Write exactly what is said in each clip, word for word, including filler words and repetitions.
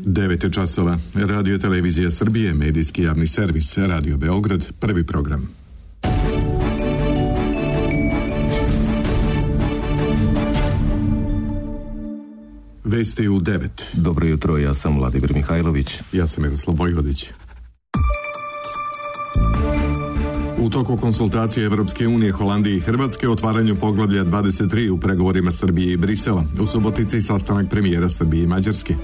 devet je časova. Radio Televizija Srbije, medijski javni servis, Radio Beograd, prvi program. Vesti u devet. Dobro jutro, ja sam Vladimir Mihajlović. Ja sam Miroslav Vojvodić. U toku konsultacije Evropske unije, Holandije i Hrvatske o otvaranju poglavlja dvadeset tri u pregovorima Srbije i Brisela. U Subotici sastanak premijera Srbije i Mađarske.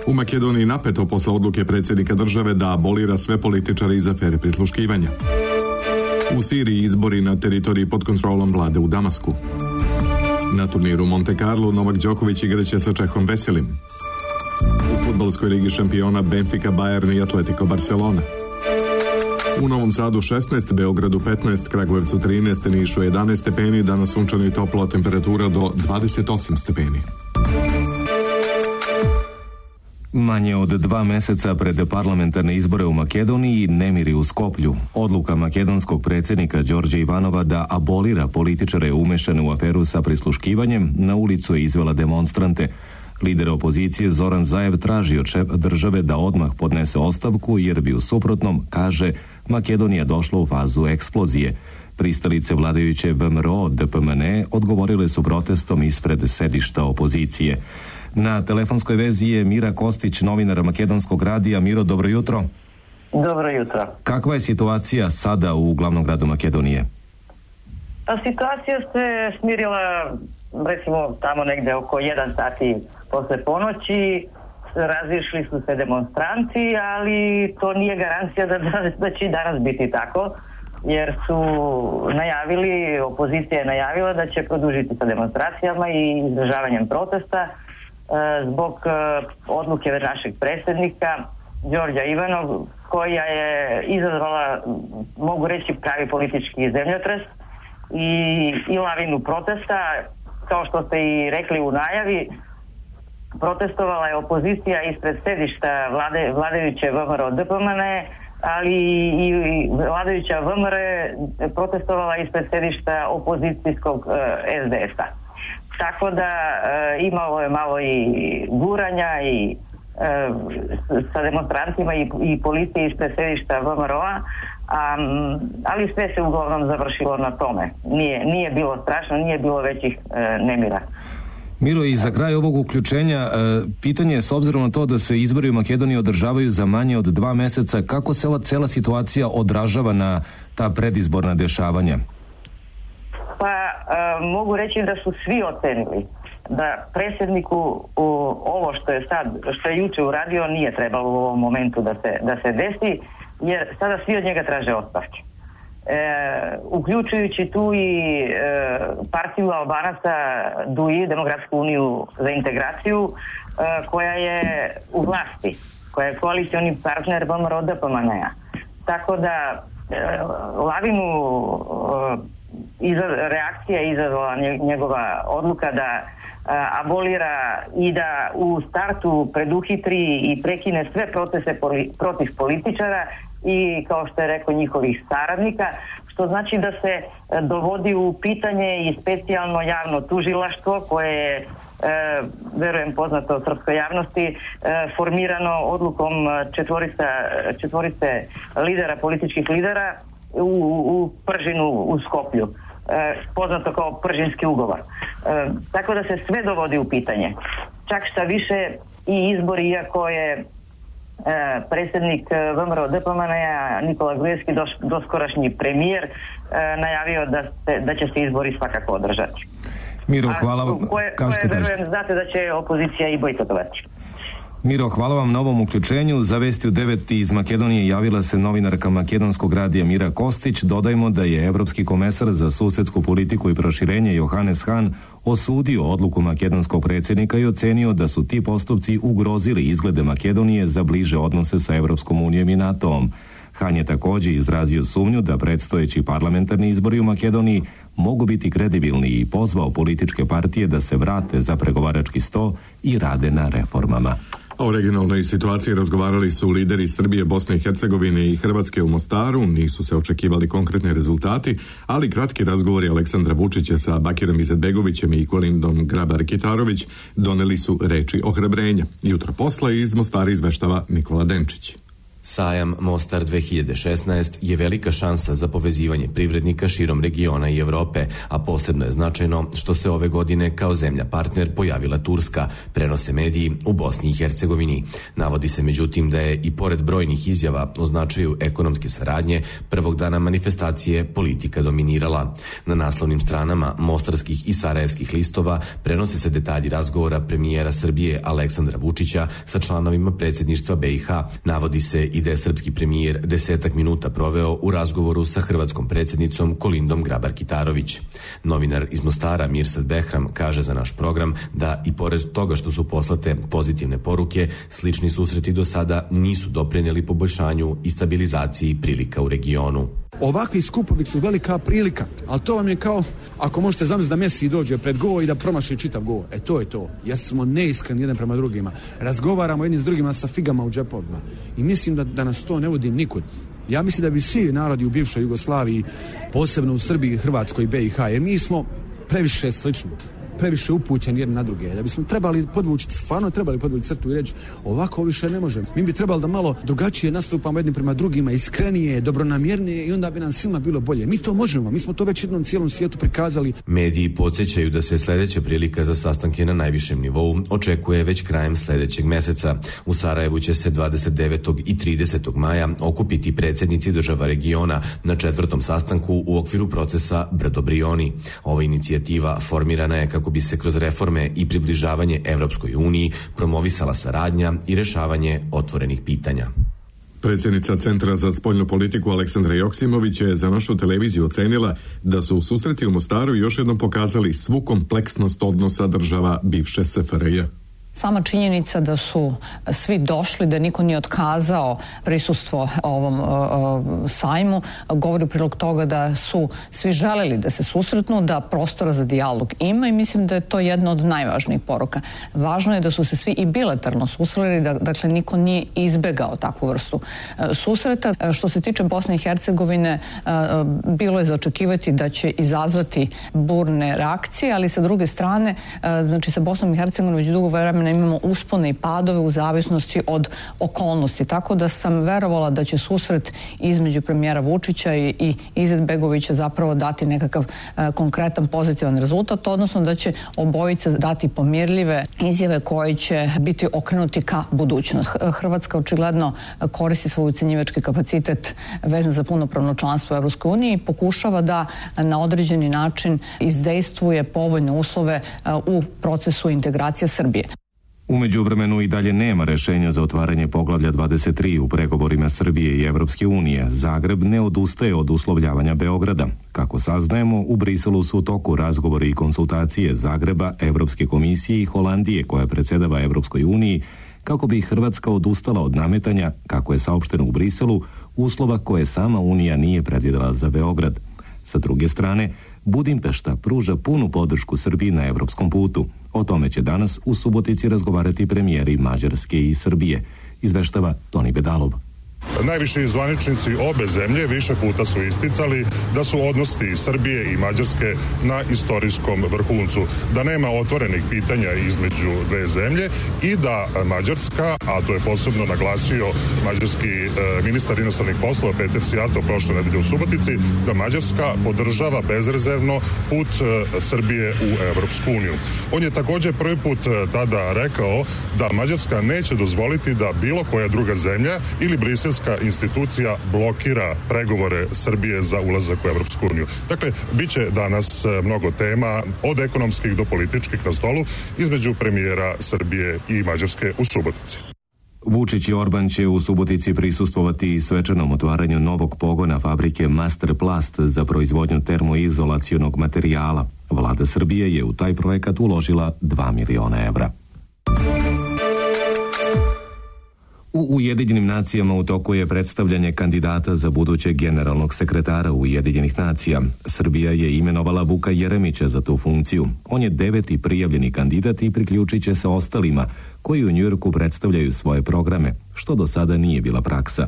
U Makedoniji napeto posle odluke predsjednika države da abolira sve političare iz afere prisluškivanja. U Siriji izbori na teritoriji pod kontrolom vlade u Damasku. Na turniru Monte Carlo Novak Đoković igraće sa Čehom Veselim. U fudbalskoj ligi šampiona Benfica, Bayern i Atletico Barcelona. U Novom Sadu šesnaest, Beogradu petnaest, Kragujevcu trinaest, Nišu jedanaest stepeni, danas sunčano i toplo, temperatura do dvadeset osam stepeni. Manje od dva meseca pred parlamentarne izbore u Makedoniji nemiri u Skoplju. Odluka makedonskog predsjednika Đorđa Ivanova da abolira političare umešane u aferu sa prisluškivanjem na ulicu je izvela demonstrante. Lider opozicije Zoran Zaev traži od šefa države da odmah podnese ostavku jer bi u suprotnom, kaže, Makedonija došla u fazu eksplozije. Pristalice vladajuće V M R O D P M N odgovorile su protestom ispred sedišta opozicije. Na telefonskoj vezi je Mira Kostić, novinar Makedonskog radija. Miro, dobro jutro. Dobro jutro. Kakva je situacija sada u glavnom gradu Makedonije? Pa situacija se smirila, recimo, tamo negde oko jedan sati posle ponoći. Razišli su se demonstranti, ali to nije garancija da, da, da će i danas biti tako, jer su najavili, opozicija je najavila da će produžiti sa demonstracijama i izražavanjem protesta zbog odluke našeg predsjednika Đorđa Ivanova, koja je izazvala, mogu reći, pravi politički zemljotres i, i lavinu protesta. Kao što ste i rekli u najavi, protestovala je opozicija ispred sedišta vlade, vladajuće V M R O D P M N, ali i, i vladajuća V M R protestovala ispred sedišta opozicijskog uh, S D S-a. Tako da e, imalo je malo i guranja i e, sa demonstrantima i, i policije ispred sedišta V M R O-a, a, ali sve se uglavnom završilo na tome. Nije, nije bilo strašno, nije bilo većih e, nemira. Miro, i za kraj ovog uključenja, e, pitanje je, s obzirom na to da se izbori u Makedoniji održavaju za manje od dva meseca, kako se ova cela situacija odražava na ta predizborna dešavanja? Pa e, mogu reći da su svi ocenili da predsjedniku u, ovo što je sad, što je juče uradio nije trebalo u ovom momentu da se, da se desi, jer sada svi od njega traže ostavke. E, uključujući tu i e, partiju Albanaca D U I, Demokratsku uniju za integraciju, e, koja je u vlasti, koja je koalicioni partner V M R O D P M N-a. Tako da e, lavinu e, Iza, reakcija je izazvala njegova odluka da a, abolira i da u startu preduhitri i prekine sve procese poli, protiv političara i, kao što je rekao, njihovih saradnika, što znači da se a, dovodi u pitanje i specijalno javno tužilaštvo koje je, e, verujem, poznato srpskoj javnosti, e, formirano odlukom četvorica, četvorice lidera, političkih lidera U, u Pržinu u Skoplju, e, poznato kao Pržinski ugovor. E, tako da se sve dovodi u pitanje. Čak šta više i izbori, iako je e, predsjednik V M R O D P M N-a Nikola Gruevski, dos, doskorašnji premijer, e, najavio da, se, da će se izbori svakako održati. Miro, hvala vam. Koje, koje verujem, znate da će opozicija i bojkotovati. Miro, hvala vam na ovom uključenju. Za Vesti u devet iz Makedonije javila se novinarka Makedonskog radija Mira Kostić. Dodajmo da je Evropski komesar za susedsku politiku i proširenje Johannes Hahn osudio odluku makedonskog predsjednika i ocenio da su ti postupci ugrozili izglede Makedonije za bliže odnose sa Evropskom unijom i NATO-om. Hahn je također izrazio sumnju da predstojeći parlamentarni izbori u Makedoniji mogu biti kredibilni i pozvao političke partije da se vrate za pregovarački sto i rade na reformama. A o regionalnoj situaciji razgovarali su lideri Srbije, Bosne i Hercegovine i Hrvatske u Mostaru. Nisu se očekivali konkretni rezultati, ali kratki razgovori Aleksandra Vučića sa Bakirom Izetbegovićem i Kolindom Grabar-Kitarović doneli su reči ohrabrenja. Jutro posle iz Mostara izveštava Nikola Denčić. Sajam Mostar dve hiljade šesnaest je velika šansa za povezivanje privrednika širom regiona i Evrope, a posebno je značajno što se ove godine kao zemlja partner pojavila Turska, prenose mediji u Bosni i Hercegovini. Navodi se međutim da je i pored brojnih izjava o značaju ekonomske saradnje, prvog dana manifestacije politika dominirala. Na naslovnim stranama mostarskih i sarajevskih listova prenose se detalji razgovora premijera Srbije Aleksandra Vučića sa članovima predsjedništva B i H. Navodi se i da je srpski premijer desetak minuta proveo u razgovoru sa hrvatskom predsjednicom Kolindom Grabar-Kitarović. Novinar iz Mostara Mirsad Behram kaže za naš program da i pored toga što su poslate pozitivne poruke, slični susreti do sada nisu doprinijeli poboljšanju i stabilizaciji prilika u regionu. Ovakvi skupovi su velika prilika, ali to vam je kao ako možete zamisliti da Messi dođe pred gol i da promaši čitav gol. E to je to. Jer smo neiskreni jedan prema drugima. Razgovaramo jedni s drugima sa figama u džepovima. I mislim da, da nas to ne vodi nikud. Ja mislim da bi svi narodi u bivšoj Jugoslaviji, posebno u Srbiji, Hrvatskoj i B i H, jer mi smo previše slični, previše upućeni jedni na druge. Da bismo trebali podvući, stvarno trebali podvući crtu i reći ovako više ne možemo. Mi bi trebali da malo drugačije nastupamo jedni prema drugima, iskrenije, dobronamjernije i onda bi nam svima bilo bolje. Mi to možemo, mi smo to već jednom cijelom svijetu prikazali. Mediji podsjećaju da se sljedeća prilika za sastanke na najvišem nivou očekuje već krajem sljedećeg mjeseca. U Sarajevu će se dvadeset devetog i tridesetog maja okupiti predsjednici država regiona na četvrtom sastanku u okviru procesa Brdo-Brioni. Ova inicijativa formirana je kako bi se kroz reforme i približavanje Evropskoj uniji promovisala saradnja i rješavanje otvorenih pitanja. Predsjednica Centra za spoljnu politiku Aleksandra Joksimović je za našu televiziju ocenila da su u susreti u Mostaru još jednom pokazali svu kompleksnost odnosa država bivše S F R J. Sama činjenica da su svi došli, da niko nije otkazao prisustvo ovom uh, sajmu, govori u prilog toga da su svi želeli da se susretnu, da prostora za dijalog ima i mislim da je to jedna od najvažnijih poruka. Važno je da su se svi i bilateralno susreli, da, dakle niko nije izbegao takvu vrstu uh, susreta. Uh, što se tiče Bosne i Hercegovine, uh, bilo je za očekivati da će izazvati burne reakcije, ali sa druge strane, uh, znači sa Bosnom i Hercegovinom već dugo vremena imamo uspone i padove u zavisnosti od okolnosti. Tako da sam verovala da će susret između premijera Vučića i, i Izetbegovića zapravo dati nekakav e, konkretan pozitivan rezultat, odnosno da će obojica dati pomirljive izjave koje će biti okrenuti ka budućnost. Hrvatska očigledno koristi svoj ucenjivački kapacitet vezan za punopravno članstvo u Evropskoj uniji i pokušava da na određeni način izdejstvuje povoljne uslove e, u procesu integracije Srbije. U međuvremenu i dalje nema rešenja za otvaranje poglavlja dvadeset tri u pregovorima Srbije i Evropske unije. Zagreb ne odustaje od uslovljavanja Beograda. Kako saznajemo, u Briselu su u toku razgovori i konsultacije Zagreba, Evropske komisije i Holandije, koja predsjedava Evropskoj uniji, kako bi Hrvatska odustala od nametanja, kako je saopšteno u Briselu, uslova koje sama Unija nije predvidjela za Beograd. Sa druge strane, Budimpešta pruža punu podršku Srbiji na evropskom putu. O tome će danas u Subotici razgovarati premijeri Mađarske i Srbije, izveštava Toni Bedalov. Najviši zvaničnici obe zemlje više puta su isticali da su odnosi Srbije i Mađarske na istorijskom vrhuncu, da nema otvorenih pitanja između dve zemlje i da Mađarska, a to je posebno naglasio mađarski e, ministar inostranih poslova Peter Sijarto prošle nedelje u Subotici, da Mađarska podržava bezrezervno put e, Srbije u Evropsku uniju. On je također prvi put e, tada rekao da Mađarska neće dozvoliti da bilo koja druga zemlja ili briselska institucija blokira pregovore Srbije za ulazak u Evropsku uniju. Dakle, bit će danas mnogo tema, od ekonomskih do političkih na stolu, između premijera Srbije i Mađarske u Subotici. Vučić i Orban će u Subotici prisustvovati svečanom otvaranju novog pogona fabrike Masterplast za proizvodnju termoizolacionog materijala. Vlada Srbije je u taj projekat uložila dva miliona evra. U Ujedinjenim nacijama u toku je predstavljanje kandidata za budućeg generalnog sekretara Ujedinjenih nacija. Srbija je imenovala Vuka Jeremića za tu funkciju. On je deveti prijavljeni kandidat i priključit će se ostalima koji u Njujorku predstavljaju svoje programe, što do sada nije bila praksa.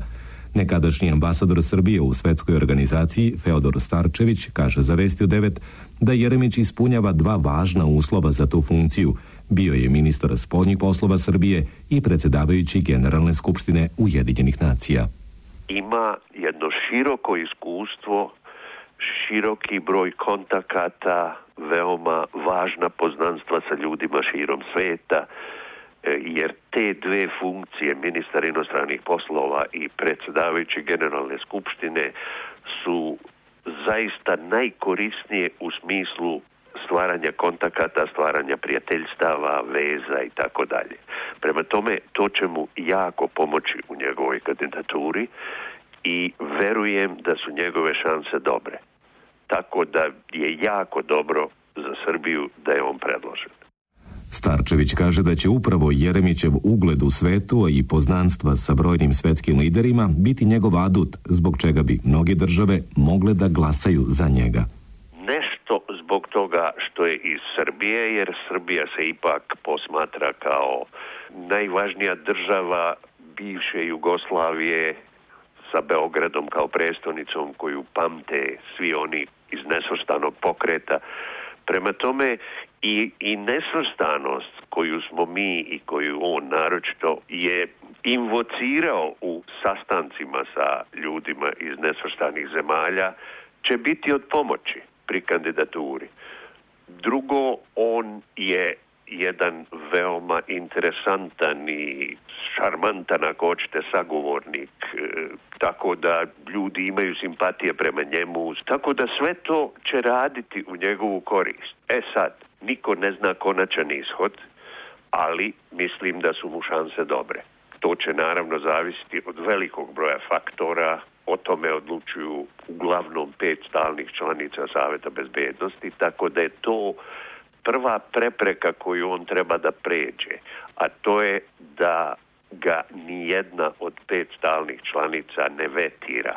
Nekadašnji ambasador Srbije u svetskoj organizaciji Feodor Starčević kaže za Vesti u devet da Jeremić ispunjava dva važna uslova za tu funkciju. Bio je ministar spoljnih poslova Srbije i predsjedavajući Generalne skupštine Ujedinjenih nacija. Ima jedno široko iskustvo, široki broj kontakata, veoma važna poznanstva sa ljudima širom sveta, jer te dve funkcije, ministar inostranih poslova i predsjedavajući Generalne skupštine, su zaista najkorisnije u smislu stvaranja kontakata, stvaranja prijateljstava, veza i tako dalje. Prema tome, to će mu jako pomoći u njegovoj kandidaturi i verujem da su njegove šanse dobre. Tako da je jako dobro za Srbiju da je on predložen. Starčević kaže da će upravo Jeremićev ugled u svetu i poznanstva sa brojnim svetskim liderima biti njegov adut, zbog čega bi mnoge države mogle da glasaju za njega. Nešto zbog toga što je iz Srbije, jer Srbija se ipak posmatra kao najvažnija država bivše Jugoslavije sa Beogradom kao prestonicom koju pamte svi oni iz nesvrstanog pokreta. Prema tome i, i nesvrstanost koju smo mi i koju on naročito je invocirao u sastancima sa ljudima iz nesvrstanih zemalja će biti od pomoći pri kandidaturi. Drugo, on je jedan veoma interesantan i šarmantan, ako hoćete, sagovornik, tako da ljudi imaju simpatije prema njemu, tako da sve to će raditi u njegovu korist. E sad, niko ne zna konačan ishod, ali mislim da su mu šanse dobre. To će naravno zavisiti od velikog broja faktora, o tome odlučuju uglavnom pet stalnih članica Saveta bezbednosti, tako da je to prva prepreka koju on treba da pređe, a to je da ga nijedna od pet stalnih članica ne vetira.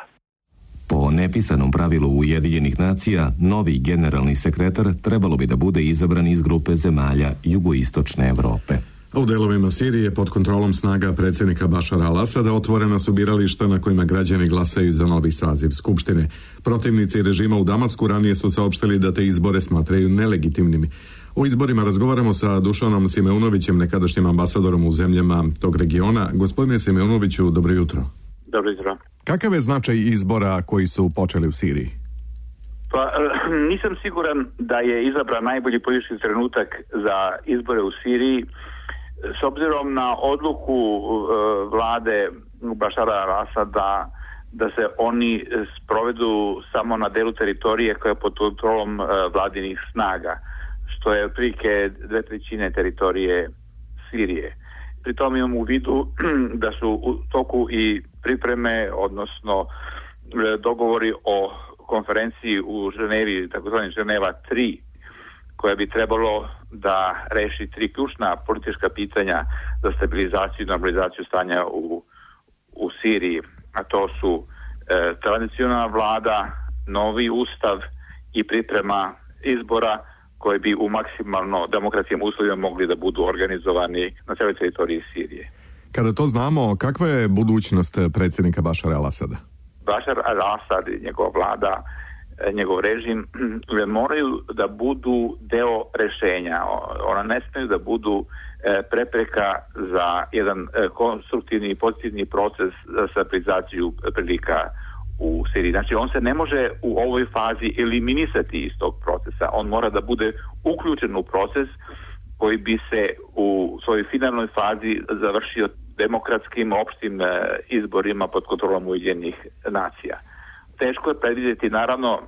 Po nepisanom pravilu Ujedinjenih nacija, novi generalni sekretar trebalo bi da bude izabran iz grupe zemalja jugoistočne Evrope. U delovima Sirije pod kontrolom snaga predsjednika Bašara al-Asada otvorena su birališta na kojima građani glasaju za novi saziv Skupštine. Protivnici režima u Damasku ranije su saopštili da te izbore smatraju nelegitimnimi. O izborima razgovaramo sa Dušanom Simeunovićem, nekadašnjim ambasadorom u zemljama tog regiona. Gospodine Simeunoviću, dobro jutro. Dobro jutro. Kakav je značaj izbora koji su počeli u Siriji? Pa nisam siguran da je izabran najbolji politički trenutak za izbore u Siriji, s obzirom na odluku uh, vlade Bašara al-Asada da se oni sprovedu samo na delu teritorije koja je pod kontrolom uh, vladinih snaga, što je otprilike dve trećine teritorije Sirije. Pri tom imamo u vidu da su u toku i pripreme, odnosno dogovori o konferenciji u Ženevi, takozvani Ženeva tri, koja bi trebalo da reši tri ključna politička pitanja za stabilizaciju i normalizaciju stanja u, u Siriji. A to su e, tradicionalna vlada, novi ustav i priprema izbora koji bi u maksimalno demokratskim uslovima mogli da budu organizovani na cijeloj teritoriji Sirije. Kada to znamo, kakva je budućnost predsjednika Bašara al-Asada? Bašar al-Asad i njegova vlada, njegov režim moraju da budu deo rešenja. Ona ne smiju da budu prepreka za jedan konstruktivni i pozitivni proces za stabilizaciju prilika u Siriji. Znači, on se ne može u ovoj fazi eliminisati iz tog procesa. On mora da bude uključen u proces koji bi se u svojoj finalnoj fazi završio demokratskim opštim izborima pod kontrolom Ujedinjenih nacija. Teško je predvidjeti, naravno,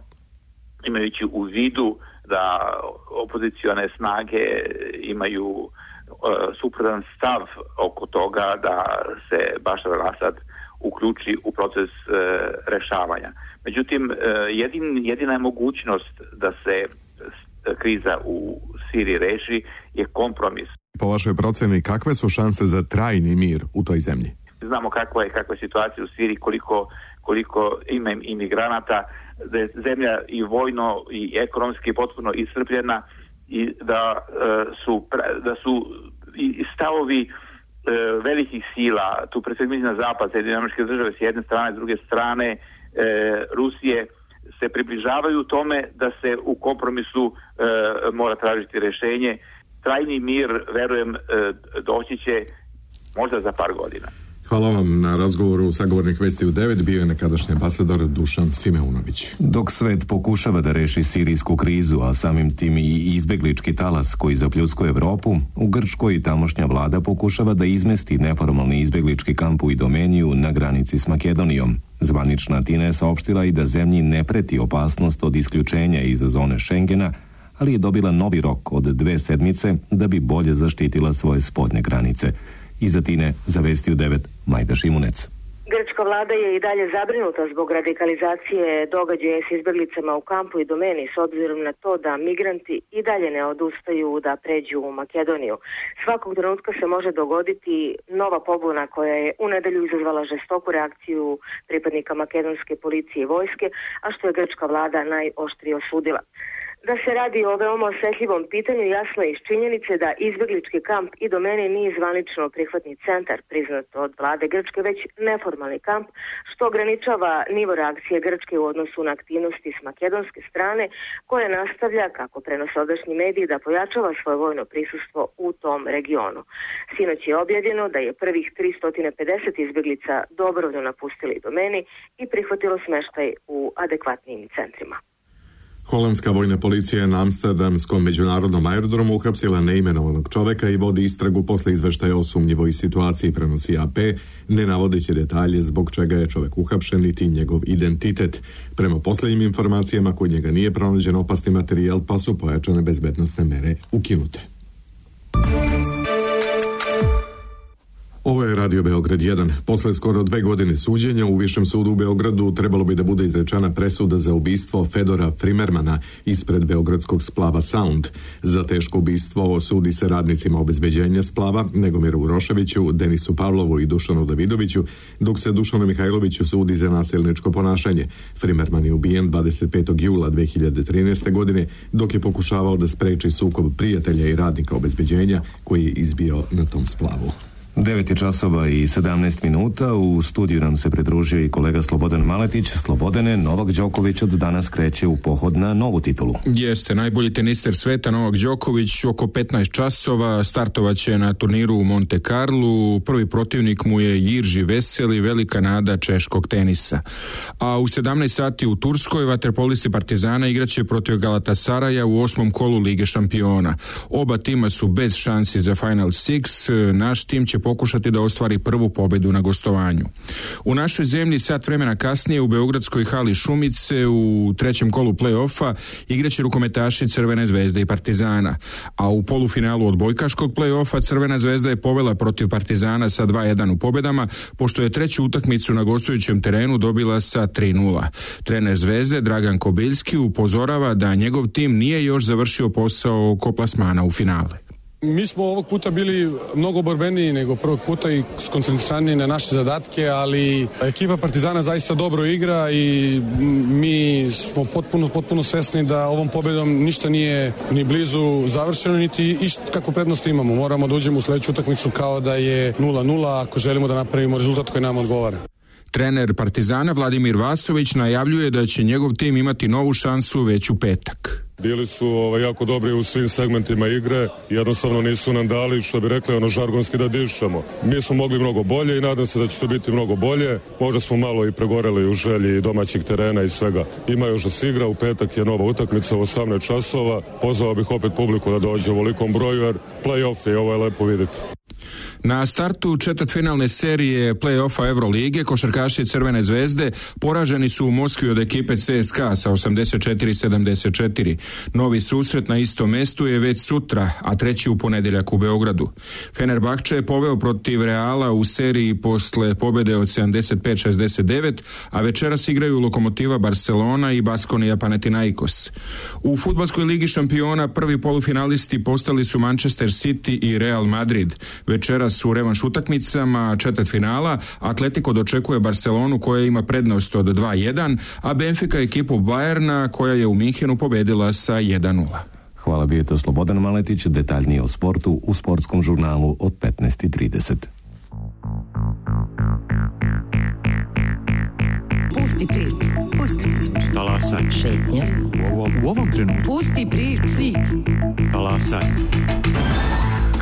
imajući u vidu da opozicione snage imaju uh, suprotan stav oko toga da se Bašar al-Asad uključi u proces uh, rešavanja. Međutim, uh, jedin, jedina je mogućnost da se kriza u Siriji reši je kompromis. Po vašoj proceni, kakve su šanse za trajni mir u toj zemlji? Znamo kakva je, kakva je situacija u Siriji, koliko, koliko ima imigranata, da je zemlja i vojno i ekonomski potpuno iscrpljena i da e, su, da su i stavovi e, velikih sila, tu pre svega na zapad, Sjedinjene Američke Države s jedne strane, s druge strane e, Rusije, se približavaju tome da se u kompromisu e, mora tražiti rješenje. Trajni mir, verujem, e, doći će možda za par godina. Hvala vam na razgovoru. Sagovornik Vesti u devet bio je nekadašnji ambasador Dušan Simeunović. Dok svet pokušava da reši sirijsku krizu, a samim tim i izbeglički talas koji zapljuskuje Evropu, u Grčkoj tamošnja vlada pokušava da izmesti neformalni izbeglički kamp u Idomeniju na granici s Makedonijom. Zvanična Atina je saopštila i da zemlji ne preti opasnost od isključenja iz zone Schengena, ali je dobila novi rok od dve sedmice da bi bolje zaštitila svoje spodnje granice. Iz Atine za Vesti u devet Majda Šimunec. Grčka vlada je i dalje zabrinuta zbog radikalizacije događaja s izbjeglicama u kampu i domeni s obzirom na to da migranti i dalje ne odustaju da pređu u Makedoniju. Svakog trenutka se može dogoditi nova pobuna koja je u nedelju izazvala žestoku reakciju pripadnika makedonske policije i vojske, a što je grčka vlada najoštrije osudila. Da se radi o veoma osjetljivom pitanju jasno je iz činjenice da izbjeglički kamp i domeni nije zvanično prihvatni centar priznat od vlade Grčke, već neformalni kamp, što ograničava nivo reakcije Grčke u odnosu na aktivnosti s makedonske strane, koja nastavlja, kako prenose odašnji mediji, da pojačava svoje vojno prisustvo u tom regionu. Sinoć je objavljeno da je prvih tristo pedeset izbjeglica dobrovoljno napustili domeni i prihvatilo smještaj u adekvatnim centrima. Holandska vojna policija je na Amsterdamskom međunarodnom aerodromu uhapsila neimenovanog čoveka i vodi istragu posle izveštaja o sumnjivoj situaciji, prenosi A P, ne navodeći detalje zbog čega je čovek uhapšen niti njegov identitet. Prema posljednjim informacijama, kod njega nije pronađen opasni materijal, pa su pojačane bezbednosne mere ukinute. Ovo je Radio Beograd jedan. Posle skoro dve godine suđenja u Višem sudu u Beogradu trebalo bi da bude izrečena presuda za ubistvo Fedora Frimermana ispred beogradskog splava Sound. Za teško ubistvo sudi se radnicima obezbeđenja splava Negomiru Uroševiću, Denisu Pavlovu i Dušanu Davidoviću, dok se Dušanu Mihajloviću sudi za nasilničko ponašanje. Frimerman je ubijen dvadeset petog jula dve hiljade trinaeste. godine, dok je pokušavao da spreči sukob prijatelja i radnika obezbeđenja koji je izbio na tom splavu. devet časova i sedamnaest minuta. U studiju nam se pridružio i kolega Slobodan Maletić. Slobodane, Novak Đoković od danas kreće u pohod na novu titulu. Jeste, najbolji teniser sveta Novak Đoković oko petnaest časova startovaće na turniru u Monte Carlu. Prvi protivnik mu je Jirži Veseli, velika nada češkog tenisa. A u sedamnaest sati u Turskoj vaterpolisti Partizana igraće protiv Galatasaraja u osmom kolu Lige šampiona. Oba tima su bez šansi za Final Six. Naš tim će pokušati da ostvari prvu pobedu na gostovanju. U našoj zemlji sat vremena kasnije u beogradskoj hali Šumice u trećem kolu play-offa igraće rukometaši Crvene zvezde i Partizana, a u polufinalu odbojkaškog play-offa Crvena zvezda je povela protiv Partizana sa dva jedan u pobedama, pošto je treću utakmicu na gostujućem terenu dobila sa tri nula. Trener Zvezde Dragan Kobiljski upozorava da njegov tim nije još završio posao oko plasmana u finale. Mi smo ovog puta bili mnogo borbeniji nego prvog puta i skoncentrirani na naše zadatke, ali ekipa Partizana zaista dobro igra i mi smo potpuno, potpuno svesni da ovom pobedom ništa nije ni blizu završeno, niti išta kako prednost imamo. Moramo da uđemo u sledeću utakmicu kao da je nula nula ako želimo da napravimo rezultat koji nam odgovara. Trener Partizana Vladimir Vasović najavljuje da će njegov tim imati novu šansu već u petak. Bili su ovaj, jako dobri u svim segmentima igre, jednostavno nisu nam dali, što bi rekli, ono žargonski da dišemo. Mi smo mogli mnogo bolje i nadam se da će to biti mnogo bolje. Možda smo malo i pregoreli u želji domaćih terena i svega. Ima još da se igra, u petak je nova utakmica u osamnaest časova. Pozvao bih opet publiku da dođe u velikom broju, jer play-off je, ovo je lepo vidjeti. Na startu četvrtfinalne serije play-offa Evrolige košarkaši Crvene zvezde poraženi su u Moskvi od ekipe C S K A sa osamdeset četiri sedamdeset četiri. Novi susret na istom mestu je već sutra, a treći u ponedjeljak u Beogradu. Fenerbahče je poveo protiv Reala u seriji posle pobjede od sedamdeset pet šezdeset devet, a večeras igraju Lokomotiva Barcelona i Baskonija Panathinaikos. U fudbalskoj ligi šampiona prvi polufinalisti postali su Manchester City i Real Madrid. Večeras danas u revanš utakmicama četvrtfinala. Atletico dočekuje Barcelonu koja ima prednost od dva jedan, a Benfica ekipu Bayerna koja je u Minhenu pobedila sa jedan nula. Hvala, bio je to Slobodan Maletić, detaljnije o sportu u sportskom žurnalu od petnaest i trideset. Pusti priču, pusti priču. Talasaj. Šetnja. U ovom, u ovom trenutku. Pusti priču, priču. Talasaj.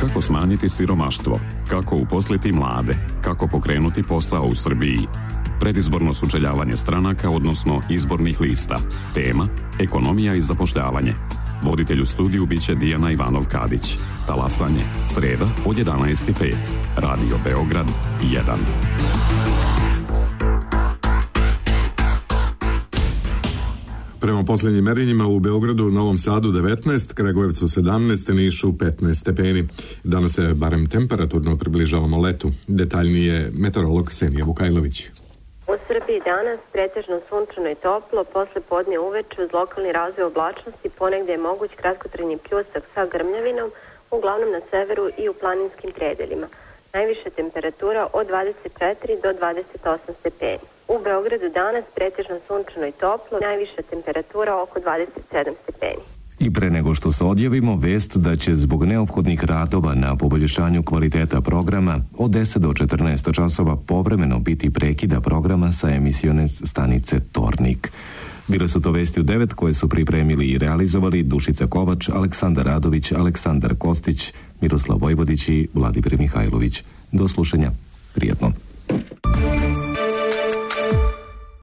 Kako smanjiti siromaštvo? Kako uposliti mlade? Kako pokrenuti posao u Srbiji? Predizborno sučeljavanje stranaka, odnosno izbornih lista. Tema: ekonomija i zapošljavanje. Voditelj u studiju biće Dijana Ivanov-Kadić. Talasanje, sreda od jedanaest i pet. Radio Beograd jedan. Prema posljednjim merenjima u Beogradu, Novom Sadu devetnaest, Kragujevcu sedamnaest, Nišu petnaest stepeni. Danas se barem temperaturno približavamo letu. Detaljnije meteorolog Senija Vukajlović. U Srbiji danas pretežno sunčano i toplo, posle podne uveče uz lokalni razvoj oblačnosti ponegde je moguć kratkotrajni pljusak sa grmljavinom, uglavnom na severu i u planinskim predelima. Najviša temperatura od dvadeset četiri do dvadeset osam stepeni. U Beogradu danas pretežno sunčano i toplo, najviša temperatura oko dvadeset sedam stepeni. I pre nego što se odjavimo, vest da će zbog neophodnih radova na poboljšanju kvaliteta programa od deset do četrnaest časova povremeno biti prekida programa sa emisione stanice Tornik. Bile su to vesti u devet koje su pripremili i realizovali Dušica Kovač, Aleksandar Radović, Aleksandar Kostić, Miroslav Vojvodić i Vladimir Mihajlović. Do slušanja. Prijetno.